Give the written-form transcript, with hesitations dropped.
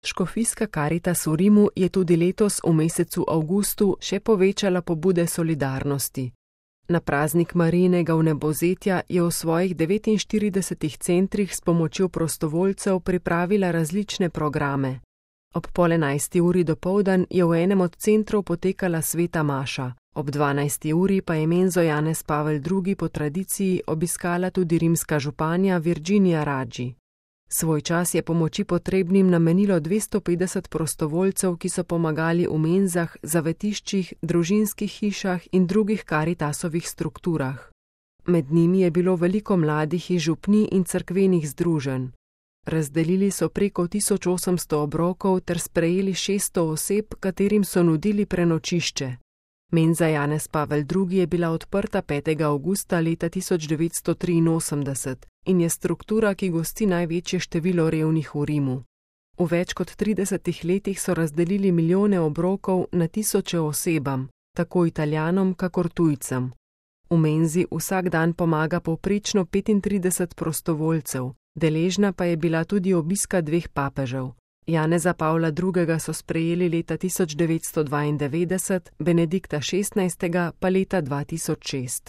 Škofijska Karitas v Rimu je tudi letos v mesecu avgustu še povečala pobude solidarnosti. Na praznik Marijinega vnebovzetja je v svojih 49 centrih s pomočjo prostovoljcev pripravila različne programe. Ob 10:30 dopoldan je v enem od centrov potekala sveta maša, ob 12. pa je menzo Janez Pavel II. Po tradiciji obiskala tudi rimska županja Virginija Raggi. Svoj čas je pomoči potrebnim namenilo 250 prostovoljcev, ki so pomagali v menzah, zavetiščih, družinskih hišah in drugih Karitasovih strukturah. Med njimi je bilo veliko mladih iz župnij in cerkvenih združenj. Razdelili so preko 1800 obrokov ter sprejeli 600 oseb, katerim so nudili prenočišče. Menza Janez Pavel II. Je bila odprta 5. avgusta leta 1983 in je struktura, ki gosti največje število revnih v Rimu. V več kot 30 letih so razdelili milijone obrokov na tisoče osebam, tako Italijanom kakor tujcem. V menzi vsak dan pomaga povprečno 35 prostovoljcev, deležna pa je bila tudi obiska 2 papežev. Janeza Pavla II. So sprejeli leta 1992, Benedikta XVI. Pa leta 2006.